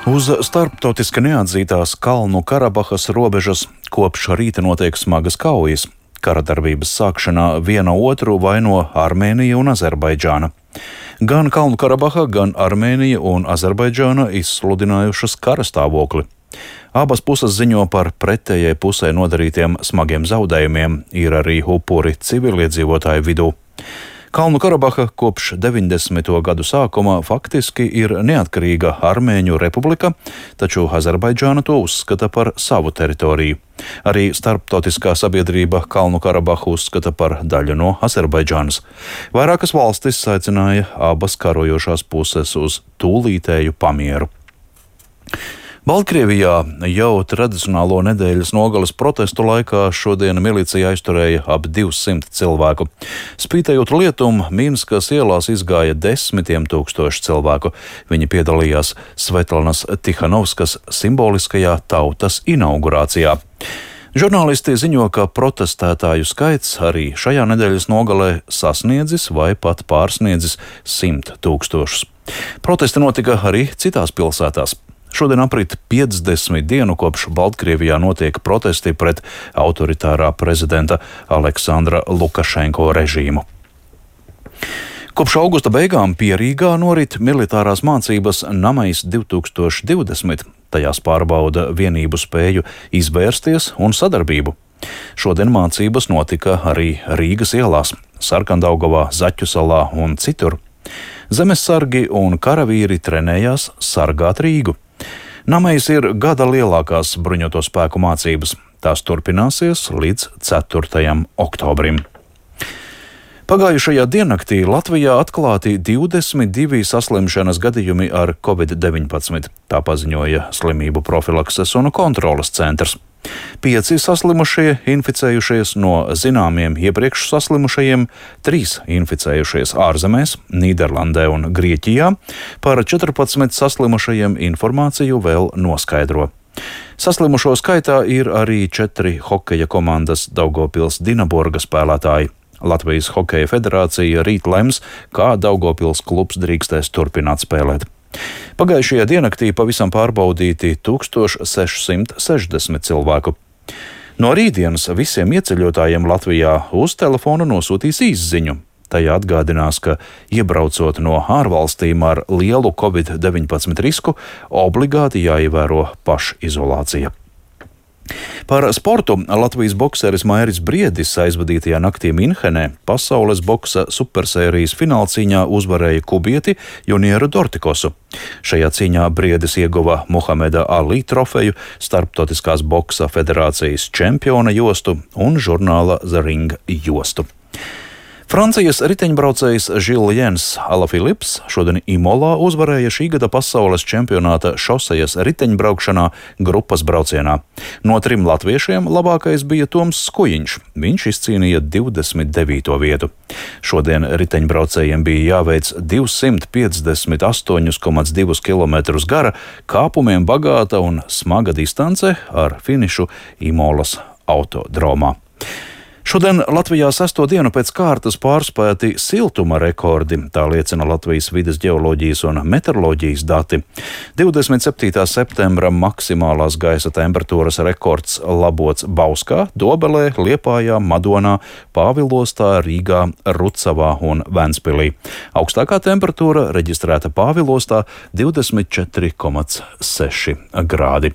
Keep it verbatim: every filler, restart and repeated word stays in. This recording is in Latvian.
Uz starptautiski neatzītās Kalnu Karabahas robežas kopš rīta notiek smagas kaujas. Kara darbības sākšanā viena otru vaino Armēnija un Azerbaidžāna. Gan Kalnu Karabaha, gan Armēnija un Azerbaidžāna izsludinājušas kara stāvokli. Abas puses ziņo par pretējai pusē nodarītiem smagiem zaudējumiem, ir arī upuri civiliedzīvotāju vidū. Kalnu Karabaha kopš deviņdesmito gadu sākuma faktiski ir neatkarīga Armēņu republika, taču Azerbaidžāna to uzskata par savu teritoriju. Arī starptautiskā sabiedrība Kalnu Karabahu uzskata par daļu no Azerbaidžānas. Vairākas valstis aicināja abas karojošās puses uz tūlītēju pamieru. Baltkrievijā jau tradicionālo nedēļas nogales protestu laikā šodien milicija aizturēja ap divsimt cilvēku. Spītējot lietum, Minskas ielās izgāja desmitiem tūkstoši cilvēku. Viņi piedalījās Svetlanas Tihanovskas simboliskajā tautas inaugurācijā. Žurnālisti ziņo, ka protestētāju skaits arī šajā nedēļas nogalē sasniedzis vai pat pārsniedzis simt tūkstošus. Protesti notika arī citās pilsētās. Šodien aprit piecdesmit dienu kopš Baltkrievijā notiek protesti pret autoritārā prezidenta Aleksandra Lukašenko režīmu. Kopš augusta beigām pie Rīgā norit militārās mācības Namais divi tūkstoši divdesmit. Tajās pārbauda vienību spēju izvērsties un sadarbību. Šodien mācības notika arī Rīgas ielās, Sarkandaugavā, Zaķusalā un citur. Zemessargi un karavīri trenējās sargāt Rīgu. Namais ir gada lielākās bruņoto spēku mācības. Tās turpināsies līdz ceturtajam oktobrim. Pagājušajā diennaktī Latvijā atklāti divdesmit divi saslimšanas gadījumi ar covid deviņpadsmit, tā paziņoja Slimību profilakses un kontroles centrs. Pieci saslimušie inficējušies no zināmiem iepriekš saslimušajiem, trīs inficējušies ārzemēs, Nīderlandē un Grieķijā, par četrpadsmit saslimušajiem informāciju vēl noskaidro. Saslimušo skaitā ir arī četri hokeja komandas Daugavpils Dinaborga spēlētāji. Latvijas Hokeja federācija rīt lems, kā Daugavpils klubs drīkstēs turpināt spēlēt. Pagājušajā diennaktī pavisam pārbaudīti tūkstoš sešsimt sešdesmit cilvēku. No rītdienas visiem ieceļotājiem Latvijā uz telefona nosūtīs īsziņu. Tajā atgādinās, ka iebraucot no ārvalstīm ar lielu covid deviņpadsmit risku, obligāti jāievēro pašizolācija. Par sportu Latvijas bokseris Mairis Briedis aizvadītajā naktī Minhenē pasaules boksa supersērijas finālcīņā uzvarēja kubieti Junieru Dortikosu. Šajā cīņā Briedis ieguva Muhameda Ali trofeju, Starptautiskās boksa federācijas čempiona jostu un žurnāla The Ring jostu. Francijas riteņbraucējs Žiljens Alafilips šodien Imolā uzvarēja šī gada pasaules čempionāta šosejas riteņbraukšanā grupas braucienā. No trim latviešiem labākais bija Toms Skujiņš. Viņš izcīnīja divdesmit devīto vietu. Šodien riteņbraucējiem bija jāveic divsimt piecdesmit astoņi komats divi kilometrus gara, kāpumiem bagāta un smaga distance ar finišu Imolas autodromā. Šodien Latvijā sesto dienu pēc kārtas pārspēti siltuma rekordi, tā liecina Latvijas vides ģeoloģijas un meteoroloģijas dati. divdesmit septītā septembra maksimālās gaisa temperatūras rekords labots Bauskā, Dobelē, Liepājā, Madonā, Pāvilostā, Rīgā, Rucavā un Ventspilī. Augstākā temperatūra reģistrēta Pāvilostā divdesmit četri komats seši grādi.